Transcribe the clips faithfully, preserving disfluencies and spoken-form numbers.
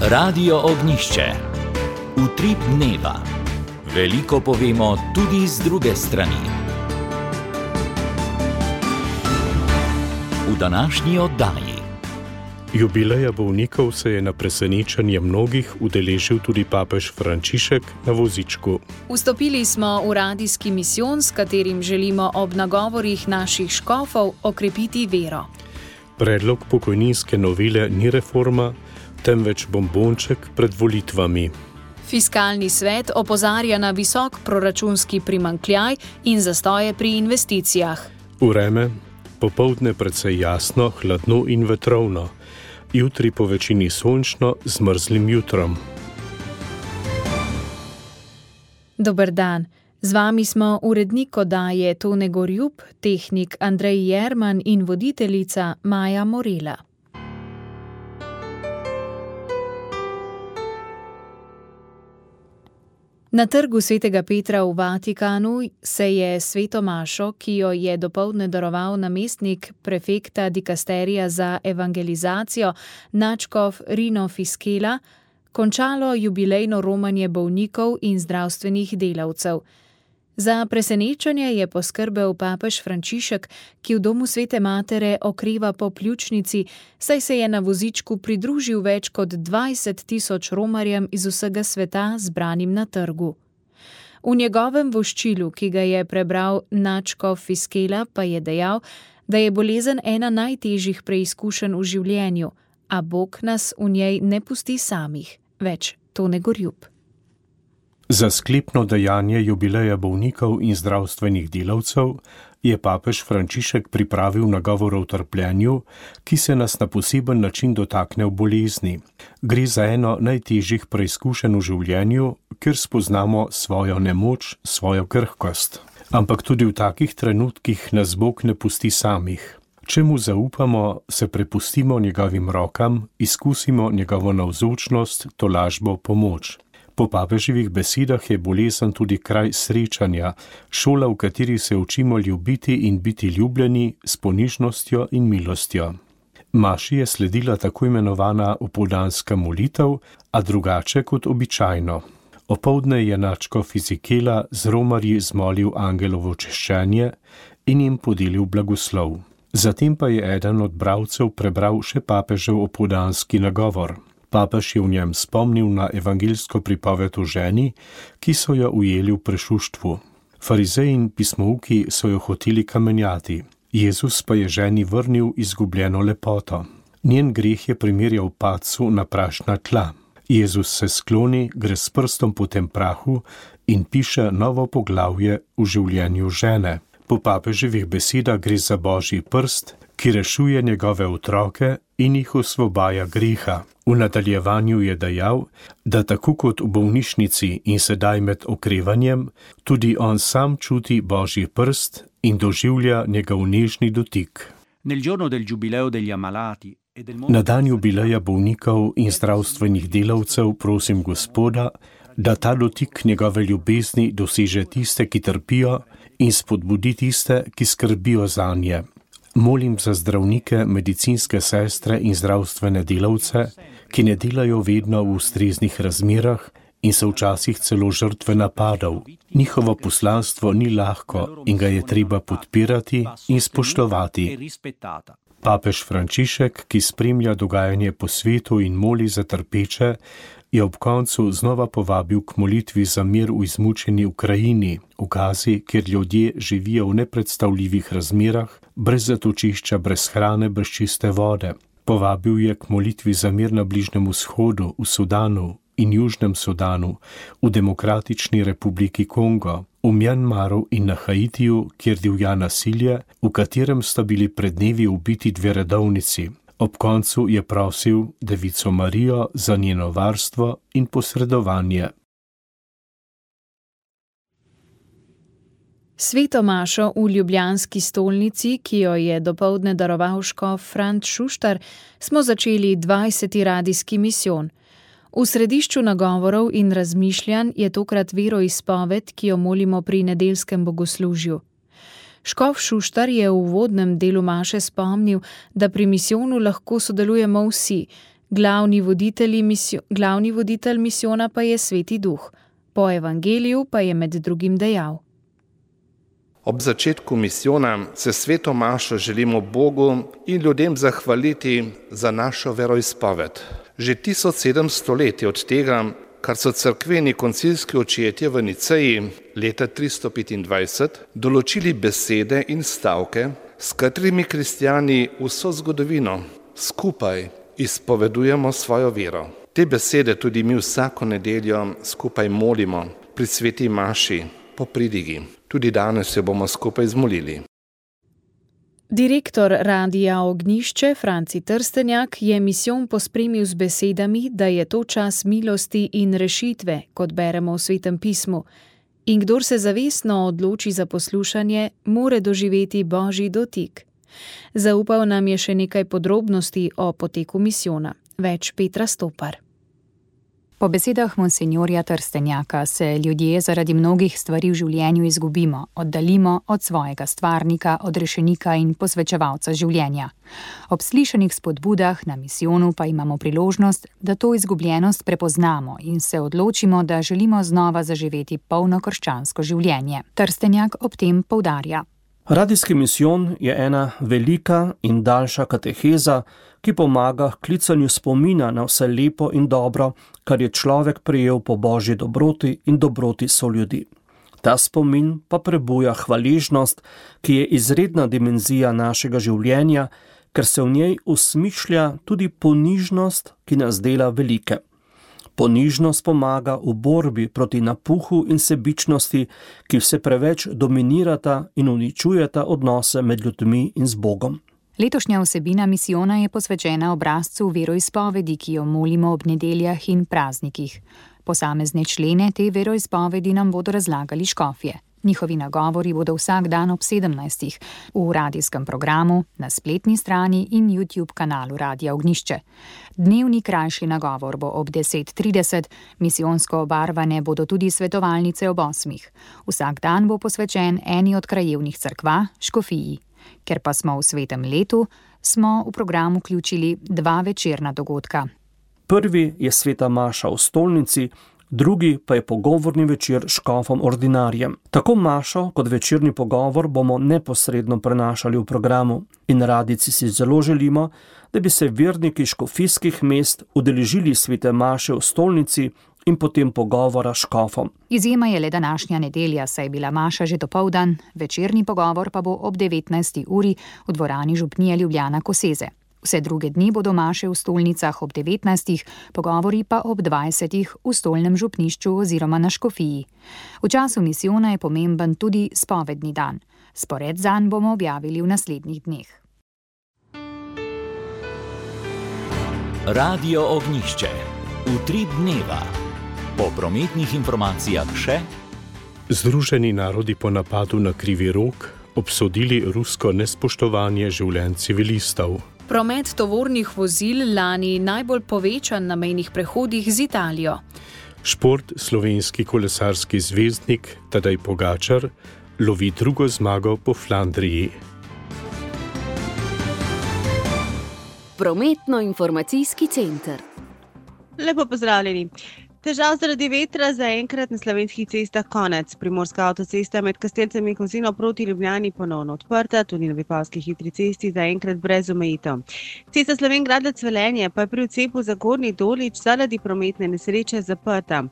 Radio Ognjišče. Utrip dneva. Veliko povemo tudi z druge strani. V današnji oddaji. Jubileja bolnikov se je na presenečenje mnogih udeležil tudi papež Frančišek na vozičku. Vstopili smo v radijski misijon, s katerim želimo ob nagovorih naših škofov okrepiti vero. Predlog pokojninske novele ni reforma, temveč bombonček pred volitvami. Fiskalni svet opozarja na visok proračunski primanjkljaj in zastoje pri investicijah. Vreme, popoldne precej jasno, hladno in vetrovno. Jutri po večini sončno z mrzlim jutrom. Dober dan. Z vami smo urednik oddaje Tone Gorjup, tehnik Andrej Jerman in voditeljica Maja Morela. Na trgu svetega Petra v Vatikanu se je sveto mašo, ki jo je dopoldne daroval namestnik prefekta dikasterija za evangelizacijo nadškof Rino Fiskela, končalo jubilejno romanje bolnikov in zdravstvenih delavcev. Za presenečenje je poskrbel papež Frančišek, ki v domu svete matere okreva po pljučnici, saj se je na vozičku pridružil več kot dvajset tisoč romarjem iz vsega sveta zbranim na trgu. V njegovem voščilu, ki ga je prebral nadškof Fiskela, pa je dejal, da je bolezen ena najtežjih preizkušenj v življenju, a Bog nas v njej ne pusti samih. Več Tone Gorjup. Za sklepno dejanje jubileja bolnikov in zdravstvenih delavcev je papež Frančišek pripravil nagovor o trpljenju, ki se nas na poseben način dotakne v bolezni. Gre za eno najtežjih preizkušenj v življenju, kjer spoznamo svojo nemoč, svojo krhkost. Ampak tudi v takih trenutkih nas Bog ne pusti samih. Če mu zaupamo, se prepustimo njegovim rokam, izkusimo njegovo navzočnost, tolažbo, pomoč. Po papeževih besedah je bolezen tudi kraj srečanja, šola, v kateri se učimo ljubiti in biti ljubljeni s ponižnostjo in milostjo. Maši je sledila tako imenovana opoldanska molitev, a drugače kot običajno. Opoldne je nadškof Fiskela z romarji zmolil angelovo češčenje in jim podelil blagoslov. Zatem pa je eden od bralcev prebral še papežev opoldanski nagovor. Papež je v njem spomnil na evangeljsko pripoved o ženi, ki so jo ujeli v prešuštvu. Farizeji in pismouki so jo hoteli kamenjati. Jezus pa je ženi vrnil izgubljeno lepoto. Njen greh je primerjal padcu na prašna tla. Jezus se skloni, gre s prstom po tem prahu in piše novo poglavje v življenju žene. Po papeževih besedah gre za Božji prst, ki rešuje njegove otroke in jih osvobaja greha. V nadaljevanju je dejal, da tako kot v bolnišnici in sedaj med okrevanjem, tudi on sam čuti Božji prst in doživlja njegov nežni dotik. Na dan jubileja bolnikov in zdravstvenih delavcev prosim Gospoda, da ta dotik njegove ljubezni doseže tiste, ki trpijo, in spodbudi tiste, ki skrbijo zanje. Molim za zdravnike, medicinske sestre in zdravstvene delavce, ki ne delajo vedno v ustreznih razmerah in so včasih celo žrtve napadov. Njihovo poslanstvo ni lahko in ga je treba podpirati in spoštovati. Papež Frančišek, ki spremlja dogajanje po svetu in moli za trpeče, je ob koncu znova povabil k molitvi za mir v izmučeni Ukrajini, v Gazi, kjer ljudje živijo v nepredstavljivih razmerah, brez zatočišča, brez hrane, brez čiste vode. Povabil je k molitvi za mir na Bližnjem vzhodu, v Sudanu in Južnem Sudanu, v Demokratični republiki Kongo, v Mjanmaru in na Haitiju, kjer divja nasilje, v katerem sta bili pred dnevi ubiti dve redovnici. Ob koncu je prosil Devico Marijo za njeno varstvo in posredovanje. Sveto mašo v ljubljanski stolnici, ki jo je dopoldne daroval škof Franc Šuštar, smo začeli dvajseti radijski misijon. V središču nagovorov in razmišljanj je tokrat veroizpoved, ki jo molimo pri nedeljskem bogoslužju. Škof Šuštar je v uvodnem delu maše spomnil, da pri misijonu lahko sodelujemo vsi, Glavni voditelj, misio, glavni voditelj misijona pa je Sveti Duh. Po evangeliju pa je med drugim dejal: Ob začetku misijona se sveto mašo želimo Bogu in ljudem zahvaliti za našo veroizpoved. Že tisoč sedemsto let je od tega, kar so cerkveni koncilski očetje v Niceji leta tristo petindvajset določili besede in stavke, s katerimi kristjani vso zgodovino skupaj izpovedujemo svojo vero. Te besede tudi mi vsako nedeljo skupaj molimo pri sveti maši po pridigi. Tudi danes jo bomo skupaj zmolili. Direktor Radia Ognjišče Franci Trstenjak je misijon pospremil z besedami, da je to čas milosti in rešitve, kot beremo v Svetem pismu. In kdor se zavestno odloči za poslušanje, more doživeti Božji dotik. Zaupal nam je še nekaj podrobnosti o poteku misijona. Več Petra Stopar. Po besedah monsinjorja Trstenjaka se ljudje zaradi mnogih stvari v življenju izgubimo, oddalimo od svojega stvarnika, odrešenika in posvečevalca življenja. Ob slišanih spodbudah na misijonu pa imamo priložnost, da to izgubljenost prepoznamo in se odločimo, da želimo znova zaživeti polno krščansko življenje. Trstenjak ob tem poudarja: Radijski misijon je ena velika in daljša kateheza, ki pomaga k klicanju spomina na vse lepo in dobro, kar je človek prejel po Božji dobroti in dobroti soljudi. Ta spomin pa prebuja hvaležnost, ki je izredna dimenzija našega življenja, ker se v njej usmišlja tudi ponižnost, ki nas dela velike. Ponižnost pomaga v borbi proti napuhu in sebičnosti, ki vse preveč dominirata in uničujeta odnose med ljudmi in z Bogom. Letošnja vsebina misijona je posvečena obrazcu veroizpovedi, ki jo molimo ob nedeljah in praznikih. Posamezne člene te veroizpovedi nam bodo razlagali škofje. Njihovi nagovori bodo vsak dan ob sedemnajstih v radijskem programu, na spletni strani in YouTube kanalu Radia Ognjišče. Dnevni krajši nagovor bo ob deset trideset, misijonsko obarvane bodo tudi svetovalnice ob osmih. Vsak dan bo posvečen eni od krajevnih cerkva, škofiji. Ker pa smo v svetem letu, smo v program vključili dva večerna dogodka. Prvi je sveta maša v stolnici, drugi pa je pogovorni večer s škofom ordinarjem. Tako mašo kot večerni pogovor bomo neposredno prenašali v programu in radijci si zelo želimo, da bi se verniki škofijskih mest udeležili svete maše v stolnici in potem pogovora s škofom. Izjema je le današnja nedelja, saj je bila maša že dopoldan, večerni pogovor pa bo ob devetnajsti uri v dvorani Župnije Ljubljana Koseze. Vse druge dni bodo maše v stolnicah ob devetnajstih, pogovori pa ob dvajsetih v stolnem župnišču oziroma na škofiji. V času misijona je pomemben tudi spovedni dan. Spored zanj bomo objavili v naslednjih dneh. Radio Ognjišče. Utrip dneva. Po prometnih informacijah še: Združeni narodi po napadu na Krivi Rog obsodili rusko nespoštovanje življenj civilistov. Promet tovornih vozil lani najbolj povečan na mejnih prehodih z Italijo. Šport slovenski kolesarski zvezdnik Tadej Pogačar lovi drugo zmago po Flandriji. Prometno-informacijski center. Lepo pozdravljeni. Težav zaradi vetra zaenkrat na slovenskih cestah konec. Primorska avtocesta med Kastelcem in Kozino proti Ljubljani ponovno odprta, tudi na Vipavski hitri cesti zaenkrat brez omejitev. Cesta Slovenj-Gradec-Velenje pa je pri odcepu za Gornji Dolič zaradi prometne nesreče zaprta.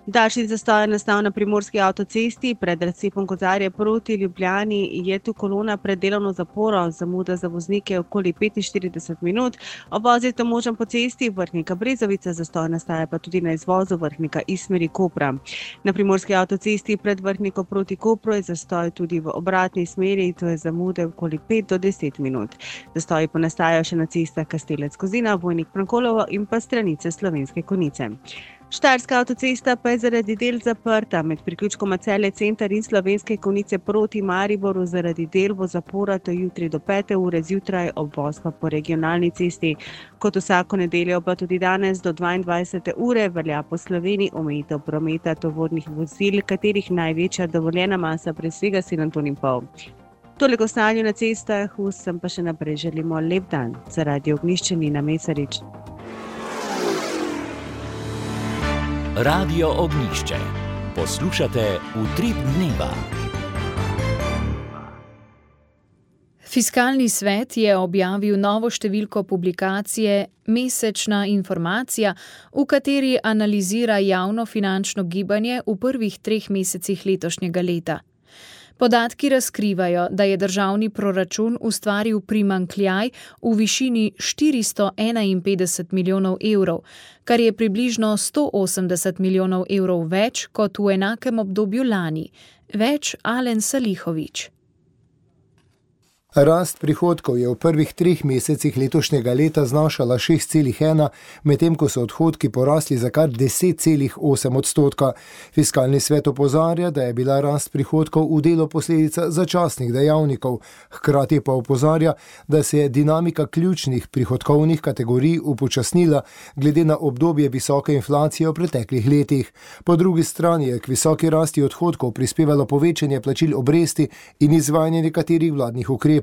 Daljši zastoj je nastal na Primorski avtocesti, pred razcepom Kozarje proti Ljubljani je tu kolona pred delovno zaporo, zamuda za voznike okoli petinštirideset minut. Obvoz je to možen po cesti Vrhnika-Brezovica, zastoj nastaja pa tudi na izvozu Vrhnika iz smeri Kopra. Na Primorski avtocesti pred Vrhniko proti Kopru je zastoj tudi v obratni smeri, to je zamude okoli pet do deset minut. Zastoji pa nastajajo še na cestah Kastelec-Kozina, Vojnik-Prankolovo in pa stranice Slovenske Konjice. Štajerska avtocesta pa je zaradi del zaprta. Med priključkoma Celje center in Slovenske Konjice proti Mariboru zaradi del bo zapora do jutri do pete ure zjutraj, obvoz pa po regionalni cesti. Kot vsako nedeljo pa tudi danes do dvaindvajsete ure velja po Sloveniji omejitev prometa tovornih vozil, katerih največja dovoljena masa presega sedem ton in pol. Toliko o stanju na cestah, vsem pa še naprej želimo lep dan. Za Radio Ognjišče Nina Mesarič. Radio Ognjišče. Poslušate Utrip dneva. Fiskalni svet je objavil novo številko publikacije Mesečna informacija, v kateri analizira javnofinančno gibanje v prvih treh mesecih letošnjega leta. Podatki razkrivajo, da je državni proračun ustvaril primanjkljaj v višini štiristo enainpetdeset milijonov evrov, kar je približno sto osemdeset milijonov evrov več kot v enakem obdobju lani. Več Alen Salihović. Rast prihodkov je v prvih treh mesecih letošnjega leta znašala šest celih ena, medtem ko so odhodki porasli za kar deset celih osem odstotka. Fiskalni svet opozarja, da je bila rast prihodkov v delu posledica začasnih dejavnikov, hkrati pa opozarja, da se je dinamika ključnih prihodkovnih kategorij upočasnila glede na obdobje visoke inflacije v preteklih letih. Po drugi strani je k visoki rasti odhodkov prispevalo povečanje plačil obresti in izvajanje nekaterih vladnih ukrepov.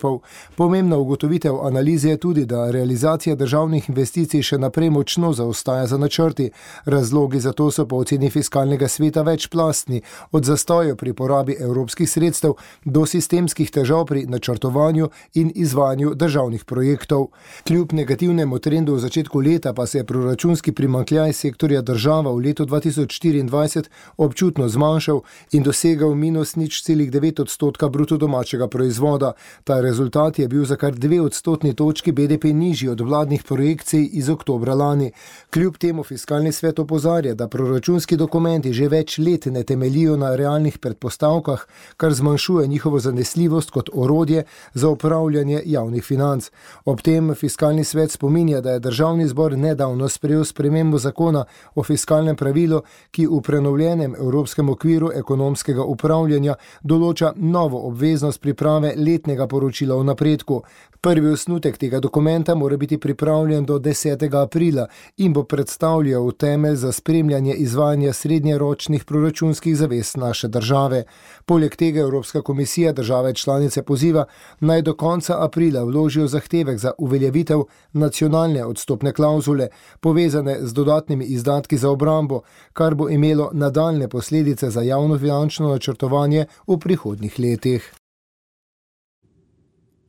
Pomembna ugotovitev analize je tudi, da realizacija državnih investicij še naprej močno zaostaja za načrti. Razlogi za to so po oceni fiskalnega sveta večplastni, od zastojev pri porabi evropskih sredstev do sistemskih težav pri načrtovanju in izvajanju državnih projektov. Kljub negativnemu trendu v začetku leta pa se je proračunski primanjkljaj sektorja država v letu dva tisoč štiriindvajset občutno zmanjšal in dosegal minus nič celih devet odstotka bruto domačega proizvoda. Ta rezultat je bil za kar dve odstotni točki B D P nižji od vladnih projekcij iz oktobra lani. Kljub temu fiskalni svet opozarja, da proračunski dokumenti že več let ne temeljijo na realnih predpostavkah, kar zmanjšuje njihovo zanesljivost kot orodje za upravljanje javnih financ. Ob tem fiskalni svet spominja, da je državni zbor nedavno sprejel spremembo zakona o fiskalnem pravilu, ki v prenovljenem evropskem okviru ekonomskega upravljanja določa novo obveznost priprave letnega poročila o napredku. Prvi osnutek tega dokumenta mora biti pripravljen do desetega aprila in bo predstavljal temelj za spremljanje izvajanja srednjeročnih proračunskih zavez naše države. Poleg tega Evropska komisija države članice poziva, naj do konca aprila vložijo zahtevek za uveljavitev nacionalne odstopne klavzule, povezane z dodatnimi izdatki za obrambo, kar bo imelo nadaljne posledice za javnofinančno načrtovanje v prihodnjih letih.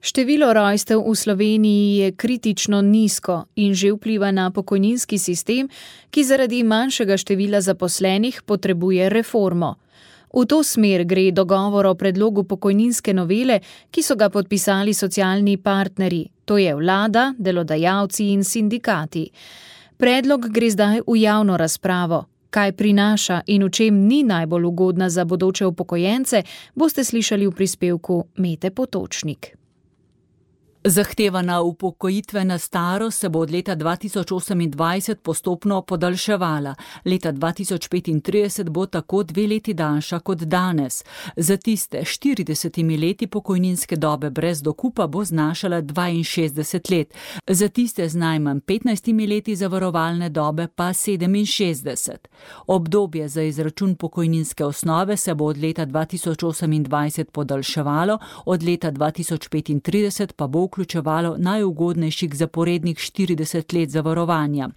Število rojstev v Sloveniji je kritično nizko in že vpliva na pokojninski sistem, ki zaradi manjšega števila zaposlenih potrebuje reformo. V to smer gre dogovor o predlogu pokojninske novele, ki so ga podpisali socialni partnerji, to je vlada, delodajalci in sindikati. Predlog gre zdaj v javno razpravo. Kaj prinaša in v čem ni najbolj ugodna za bodoče upokojence, boste slišali v prispevku Mete Potočnik. Zahtevana upokojitvena starost se bo od leta dva tisoč osemindvajset postopno podaljševala. Leta dva tisoč petintrideset bo tako dve leti daljša kot danes. Za tiste štiridesetimi leti pokojninske dobe brez dokupa bo znašala dvainšestdeset let. Za tiste z najmanj petnajstimi leti zavarovalne dobe pa sedeminšestdeset. Obdobje za izračun pokojninske osnove se bo od leta dva tisoč osemindvajset podaljševalo, od leta dva tisoč petintrideset pa bo vključevalo najugodnejših zaporednih štirideset let zavarovanja.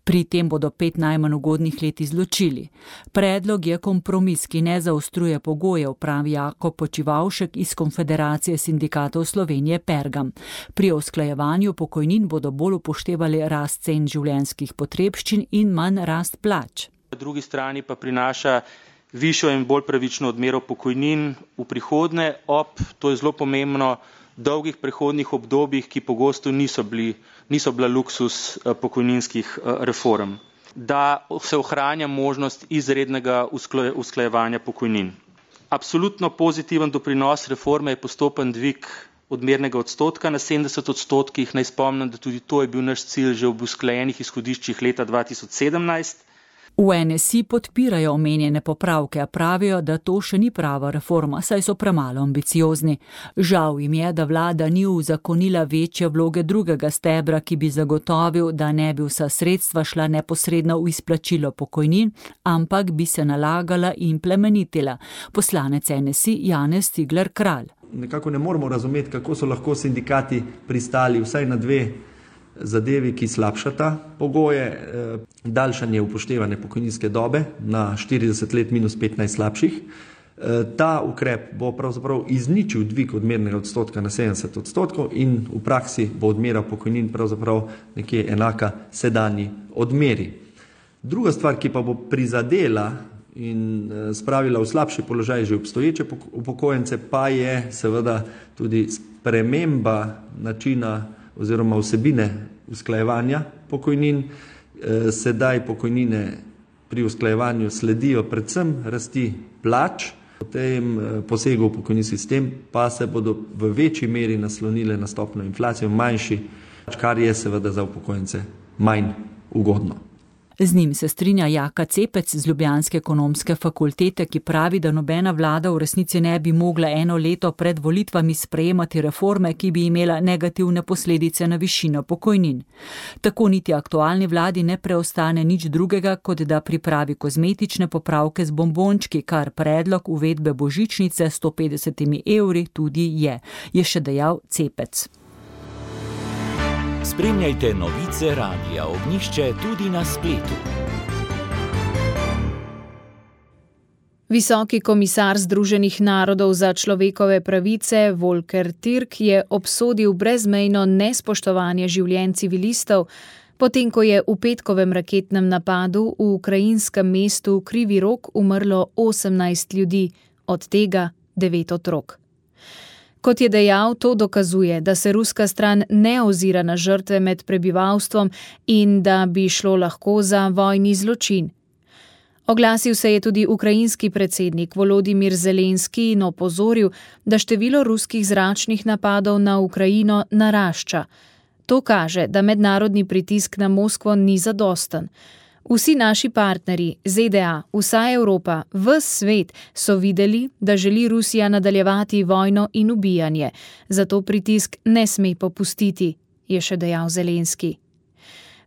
Pri tem bodo pet najmanj ugodnih let izločili. Predlog je kompromis, ki ne zaostruje pogojev, pravi Jakob Počivavšek iz Konfederacije sindikatov Slovenije Pergam. Pri usklajevanju pokojnin bodo bolj upoštevali rast cen življenjskih potrebščin in manj rast plač. Na drugi strani pa prinaša višjo in bolj pravično odmero pokojnin v prihodnje ob, to je zelo pomembno, dolgih prehodnih obdobjih, ki pogosto niso, bili, niso bila luksus pokojninskih reform, da se ohranja možnost izrednega usklajevanja pokojnin. Absolutno pozitiven doprinos reforme je postopen dvig odmernega odstotka na sedemdeset odstotkih. Naj spomnim, da tudi to je bil naš cilj že ob usklajenih izhodiščih leta dva tisoč sedemnajst. V N S I podpirajo omenjene popravke, a pravijo, da to še ni prava reforma, saj so premalo ambiciozni. Žal jim je, da vlada ni uzakonila večje vloge drugega stebra, ki bi zagotovil, da ne bi vsa sredstva šla neposredno v izplačilo pokojnin, ampak bi se nalagala in plemenitila. Poslanec N S I Janez Cigler Kralj. Nekako ne moramo razumeti, kako so lahko sindikati pristali vsaj na dve zadevi, ki slabšata pogoje, daljšanje upoštevane pokojninske dobe na štirideset let minus petnajst slabših. Ta ukrep bo pravzaprav izničil dvig odmernega odstotka na sedemdeset odstotkov in v praksi bo odmera pokojnin pravzaprav nekje enaka sedanji odmeri. Druga stvar, ki pa bo prizadela in spravila v slabši položaj že obstoječe upokojence, pa je seveda tudi sprememba načina oziroma vsebine usklajevanja pokojnin. Sedaj pokojnine pri usklajevanju sledijo predvsem rasti plač, v tem posegu v pokojninski sistem pa se bodo v večji meri naslonile na stopnjo inflacije, manjši, kar je seveda za upokojence manj ugodno. Z njim se strinja Jaka Cepec z Ljubljanske ekonomske fakultete, ki pravi, da nobena vlada v resnici ne bi mogla eno leto pred volitvami sprejemati reforme, ki bi imela negativne posledice na višino pokojnin. Tako niti aktualni vladi ne preostane nič drugega, kot da pripravi kozmetične popravke z bombončki, kar predlog uvedbe božičnice s sto petdesetimi evri tudi je, je še dejal Cepec. Spremljajte novice Radia Ognjišče tudi na spletu. Visoki komisar Združenih narodov za človekove pravice Volker Türk je obsodil brezmejno nespoštovanje življenj civilistov, potem ko je v petkovem raketnem napadu v ukrajinskem mestu Krivi Rog umrlo osemnajst ljudi, od tega devet otrok. Kot je dejal, to dokazuje, da se ruska stran ne ozira na žrtve med prebivalstvom in da bi šlo lahko za vojni zločin. Oglasil se je tudi ukrajinski predsednik Volodimir Zelenski in opozoril, da število ruskih zračnih napadov na Ukrajino narašča. To kaže, da mednarodni pritisk na Moskvo ni zadosten. Vsi naši partnerji, Z D A, vsa Evropa, ves svet so videli, da želi Rusija nadaljevati vojno in ubijanje, zato pritisk ne sme popustiti, je še dejal Zelenski.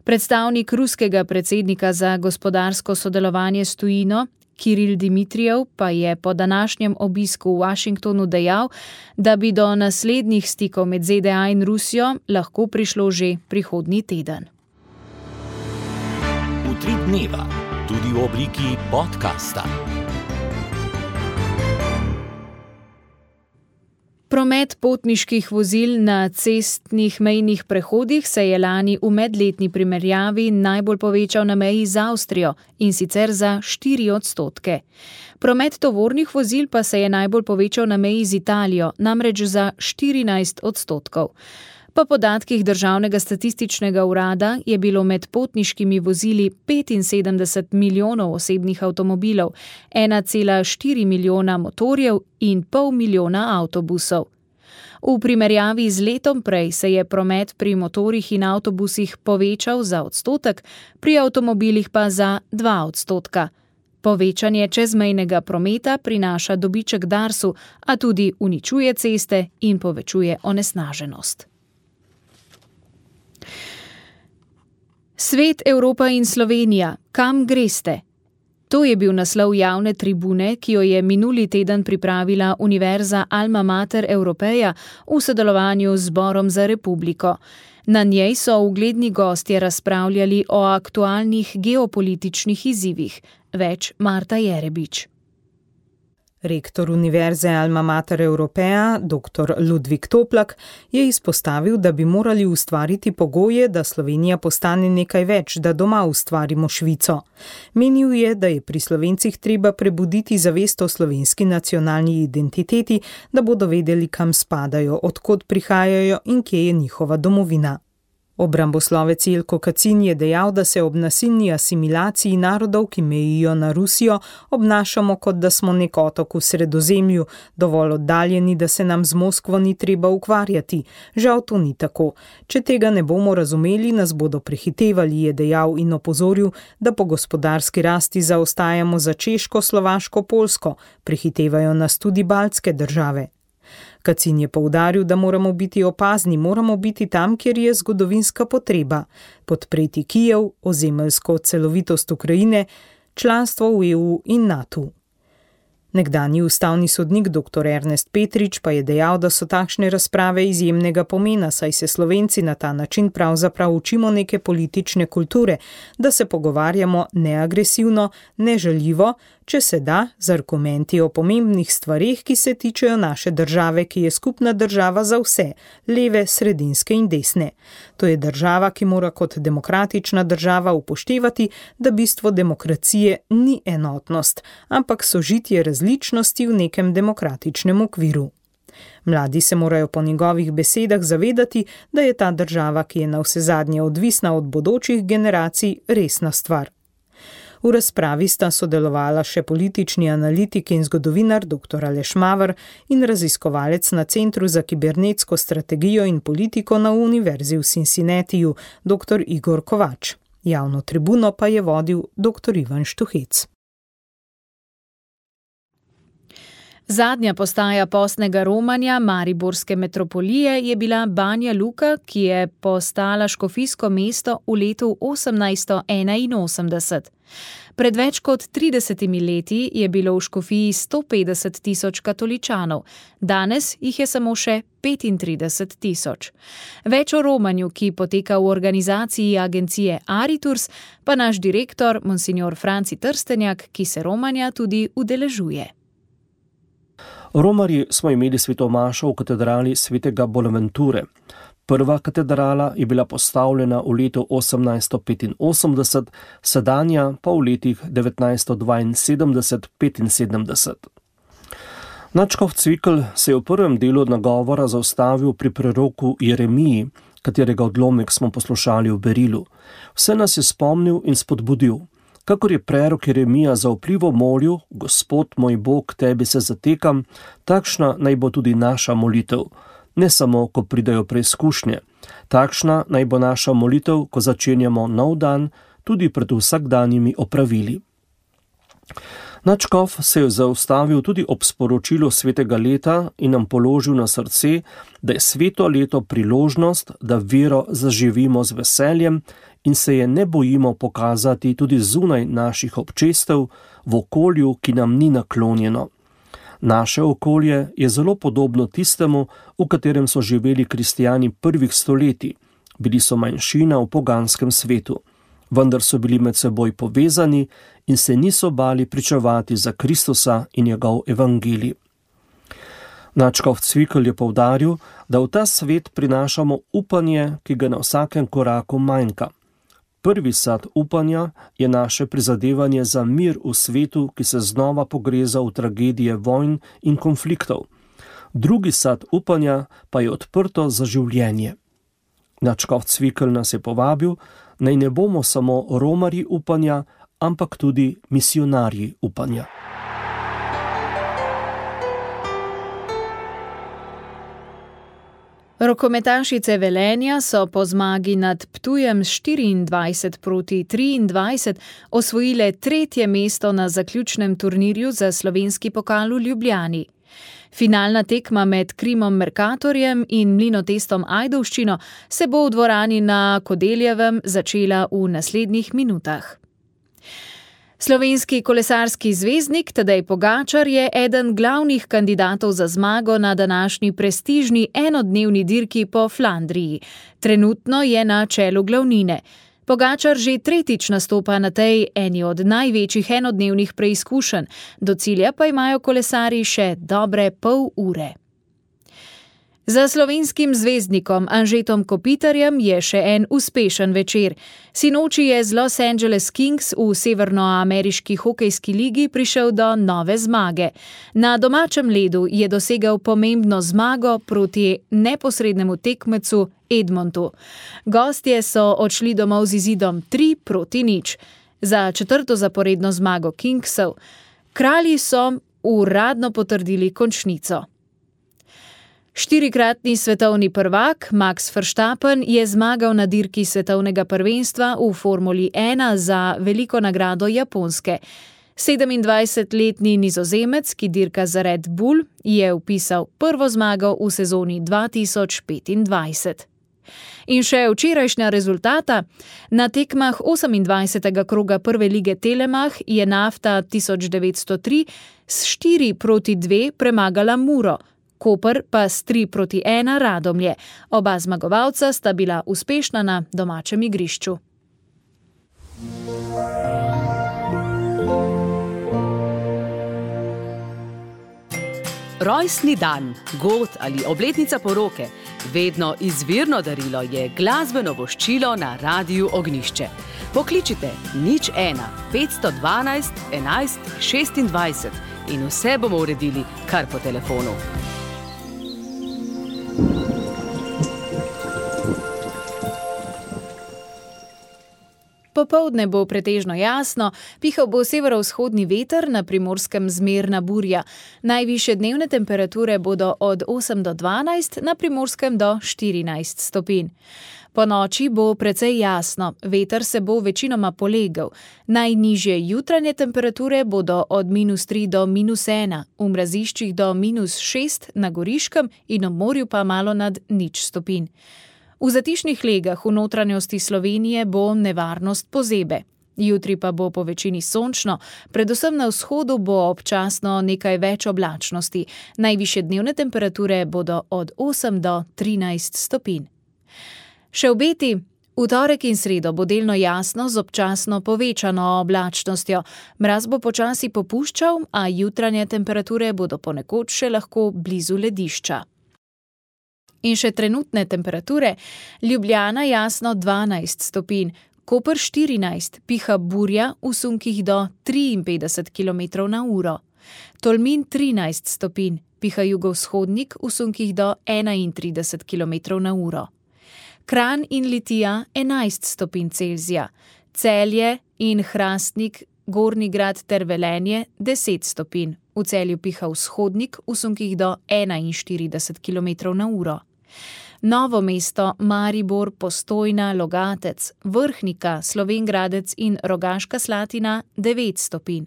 Predstavnik ruskega predsednika za gospodarsko sodelovanje s tujino, Kiril Dimitrijev, pa je po današnjem obisku v Washingtonu dejal, da bi do naslednjih stikov med Z D A in Rusijo lahko prišlo že prihodnji teden. Utrip dneva, tudi v obliki podcasta. Promet potniških vozil na cestnih mejnih prehodih se je lani v medletni primerjavi najbolj povečal na meji z Avstrijo, in sicer za štiri odstotke. Promet tovornih vozil pa se je najbolj povečal na meji z Italijo, namreč za štirinajst odstotkov. Po podatkih Državnega statističnega urada je bilo med potniškimi vozili petinsedemdeset milijonov osebnih avtomobilov, ena cela štiri milijona motorjev in pol milijona avtobusov. V primerjavi z letom prej se je promet pri motorjih in avtobusih povečal za odstotek, pri avtomobilih pa za dva odstotka. Povečanje čezmejnega prometa prinaša dobiček Darsu, a tudi uničuje ceste in povečuje onesnaženost. Svet, Evropa in Slovenija, kam greste? To je bil naslov javne tribune, ki jo je minuli teden pripravila Univerza Alma Mater Europeja v sodelovanju z Zborom za republiko. Na njej so ugledni gostje razpravljali o aktualnih geopolitičnih izzivih. Več Marta Jerebič. Rektor Univerze Alma Mater Europeja, doktor Ludvik Toplak, je izpostavil, da bi morali ustvariti pogoje, da Slovenija postane nekaj več, da doma ustvarimo Švico. Menil je, da je pri Slovencih treba prebuditi zavest o slovenski nacionalni identiteti, da bodo vedeli, kam spadajo, odkot prihajajo in kje je njihova domovina. Obramboslovec Jelko Kacin je dejal, da se ob nasilni asimilaciji narodov, ki mejijo na Rusijo, obnašamo, kot da smo nek otok v Sredozemlju, dovolj oddaljeni, da se nam z Moskvo ni treba ukvarjati. Žal to ni tako. Če tega ne bomo razumeli, nas bodo prehitevali, je dejal in opozoril, da po gospodarski rasti zaostajamo za Češko, Slovaško, Poljsko, prehitevajo nas tudi baltske države. Kacin je poudaril, da moramo biti opazni, moramo biti tam, kjer je zgodovinska potreba, podpreti Kijev, ozemeljsko celovitost Ukrajine, članstvo v E U in NATO. Nekdanji ustavni sodnik doktor Ernest Petrič pa je dejal, da so takšne razprave izjemnega pomena, saj se Slovenci na ta način pravzaprav učimo neke politične kulture, da se pogovarjamo neagresivno, nežaljivo, če se da, z argumenti o pomembnih stvareh, ki se tičejo naše države, ki je skupna država za vse, leve, sredinske in desne. To je država, ki mora kot demokratična država upoštevati, da bistvo demokracije ni enotnost, ampak sožitje različnosti v nekem demokratičnem okviru. Mladi se morajo po njegovih besedah zavedati, da je ta država, ki je navsezadnje odvisna od bodočih generacij, resna stvar. V razpravi sta sodelovala še politični analitik in zgodovinar doktor Aleš Maver in raziskovalec na Centru za kibernetsko strategijo in politiko na Univerzi v Cincinnatiju doktor Igor Kovač. Javno tribuno pa je vodil doktor Ivan Štuhec. Zadnja postaja postnega romanja mariborske metropolije je bila Banja Luka, ki je postala škofijsko mesto v letu osemnajststo enainosemdeset. Pred več kot tridesetimi leti je bilo v škofiji sto petdeset tisoč katoličanov, danes jih je samo še petintrideset tisoč. Več o romanju, ki poteka v organizaciji agencije Ariturs, pa naš direktor, monsignor Franci Trstenjak, ki se romanja tudi udeležuje. Romarji smo imeli sveto mašo v katedrali svetega Bonaventure. Prva katedrala je bila postavljena v letu osemnajststo petinosemdeset, sedanja pa v letih devetnajststo dvainsedemdeset petinsedemdeset. Nadškof Cvikl se je v prvem delu nagovora zaustavil pri preroku Jeremiji, katerega odlomek smo poslušali v Berilu. Vse nas je spomnil in spodbudil. Kakor je prerok Jeremija zaupljivo molil, Gospod moj Bog, tebi se zatekam, takšna naj bo tudi naša molitev. Ne samo, ko pridajo preizkušnje. Takšna naj bo naša molitev, ko začenjamo nov dan, tudi pred vsakdanjimi opravili. Nadškof se je zaustavil tudi ob sporočilu svetega leta in nam položil na srce, da je sveto leto priložnost, da vero zaživimo z veseljem in se je ne bojimo pokazati tudi zunaj naših občestev v okolju, ki nam ni naklonjeno. Naše okolje je zelo podobno tistemu, v katerem so živeli kristijani prvih stoletij. Bili so manjšina v poganskem svetu, vendar so bili med seboj povezani in se niso bali pričevati za Kristusa in njegov evangelij. Nadškof Cvikl je poudaril, da v ta svet prinašamo upanje, ki ga na vsakem koraku manjka. Prvi sad upanja je naše prizadevanje za mir v svetu, ki se znova pogreza v tragedije vojn in konfliktov. Drugi sad upanja pa je odprto za življenje. Nadškof Cvikl nas je povabil, naj ne bomo samo romarji upanja, ampak tudi misionarji upanja. Rokometašice Velenja so po zmagi nad Ptujem štiriindvajset proti triindvajset osvojile tretje mesto na zaključnem turnirju za slovenski pokal v Ljubljani. Finalna tekma med Krimom Mercatorjem in Mlinotestom Ajdovščino se bo v dvorani na Kodeljevem začela v naslednjih minutah. Slovenski kolesarski zvezdnik Tadej Pogačar je eden glavnih kandidatov za zmago na današnji prestižni enodnevni dirki po Flandriji. Trenutno je na čelu glavnine. Pogačar že tretjič nastopa na tej eni od največjih enodnevnih preizkušenj, do cilja pa imajo kolesarji še dobre pol ure. Za slovenskim zvezdnikom Anžetom Kopitarjem je še en uspešen večer. Sinoči je z Los Angeles Kings v severnoameriški hokejski ligi prišel do nove zmage. Na domačem ledu je dosegel pomembno zmago proti neposrednemu tekmecu Edmontu. Gostje so odšli domov z izidom tri proti nič. Za četrto zaporedno zmago Kingsov kralji so uradno potrdili končnico. Štirikratni svetovni prvak Max Verstappen je zmagal na dirki svetovnega prvenstva v Formuli ena za veliko nagrado Japonske. sedemindvajsetletni Nizozemec, ki dirka za Red Bull, je vpisal prvo zmago v sezoni dva tisoč petindvajset. In še včerajšnja rezultata. Na tekmah osemindvajsetega kroga prve lige Telemach je Nafta tisoč devetsto tri s štiri proti dve premagala Muro, Koper pa s tri proti ena Radomlje. Oba zmagovalca sta bila uspešna na domačem igrišču. Rojstni dan, god ali obletnica poroke, vedno izvirno darilo je glasbeno voščilo na Radiu Ognjišče. Pokličite nič ena, petsto dvanajst, enajst, šestindvajset in vse bomo uredili kar po telefonu. Popoldne bo pretežno jasno, pihal bo severovzhodni veter, na Primorskem zmerna burja. Najvišje dnevne temperature bodo od osem do dvanajst, na Primorskem do štirinajst stopinj. Po noči bo precej jasno, veter se bo večinoma polegel. Najnižje jutranje temperature bodo od minus tri do minus ena, v mraziščih do minus šest na Goriškem in ob morju pa malo nad nič stopinj. V zatišnih legah v notranjosti Slovenije bo nevarnost pozebe. Jutri pa bo po večini sončno, predvsem na vzhodu bo občasno nekaj več oblačnosti. Najvišje dnevne temperature bodo od osem do trinajst stopinj. Še obeti. V torek in sredo bo delno jasno z občasno povečano oblačnostjo. Mraz bo počasi popuščal, a jutranje temperature bodo ponekod še lahko blizu ledišča. In še trenutne temperature. Ljubljana jasno dvanajst stopinj, Koper štirinajst, piha burja v sunkih do triinpetdeset kilometrov na uro. Tolmin trinajst stopinj, piha jugovzhodnik v sunkih do enaintrideset kilometrov na uro. Kranj in Litija enajst stopinj Celzija, Celje in Hrastnik, Gornji Grad ter Velenje deset stopinj. V Celju piha vzhodnik v sunkih do enainštirideset kilometrov na uro. Novo mesto, Maribor, Postojna, Logatec, Vrhnika, Slovenj Gradec in Rogaška Slatina devet stopinj.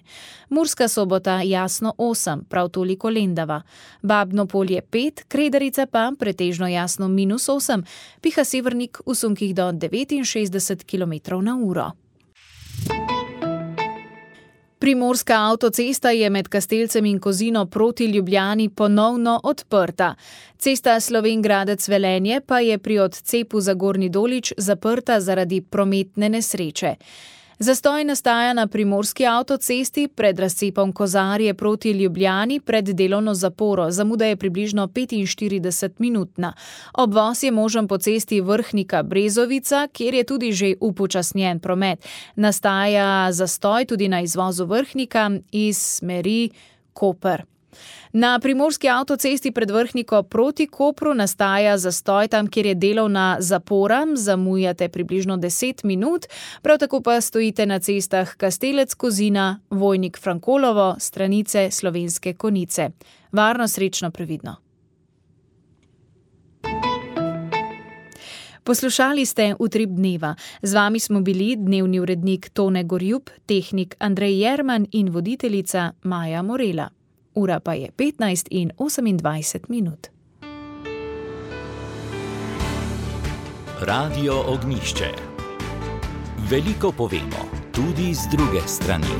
Murska Sobota jasno osem, prav toliko Lendava. Babno Polje pet, Kredarica pa pretežno jasno minus osem, piha severnik v sunkih do devetinšestdeset kilometrov na uro. Primorska avtocesta je med Kastelcem in Kozino proti Ljubljani ponovno odprta. Cesta Slovenj Gradec-Velenje pa je pri odcepu za Gornji Dolič zaprta zaradi prometne nesreče. Zastoj nastaja na primorski avtocesti pred razcepom Kozarje proti Ljubljani pred delovno zaporo. Zamuda je približno petinštirideset minutna. Obvoz je možen po cesti Vrhnika-Brezovica, kjer je tudi že upočasnjen promet. Nastaja zastoj tudi na izvozu Vrhnika iz smeri Koper. Na primorski avtocesti pred Vrhniko proti Kopru nastaja zastoj tam, kjer je delovna zapora, zamujate približno deset minut, prav tako pa stojite na cestah Kastelec-Kozina, Vojnik-Frankolovo, Stranice, Slovenske Konjice. Varno, srečno, previdno. Poslušali ste Utrip dneva. Z vami smo bili dnevni urednik Tone Gorjup, tehnik Andrej Jerman in voditeljica Maja Morela. Ura pa je petnajst in osemindvajset minut. Radio Ognjišče. Veliko povemo, tudi z druge strani.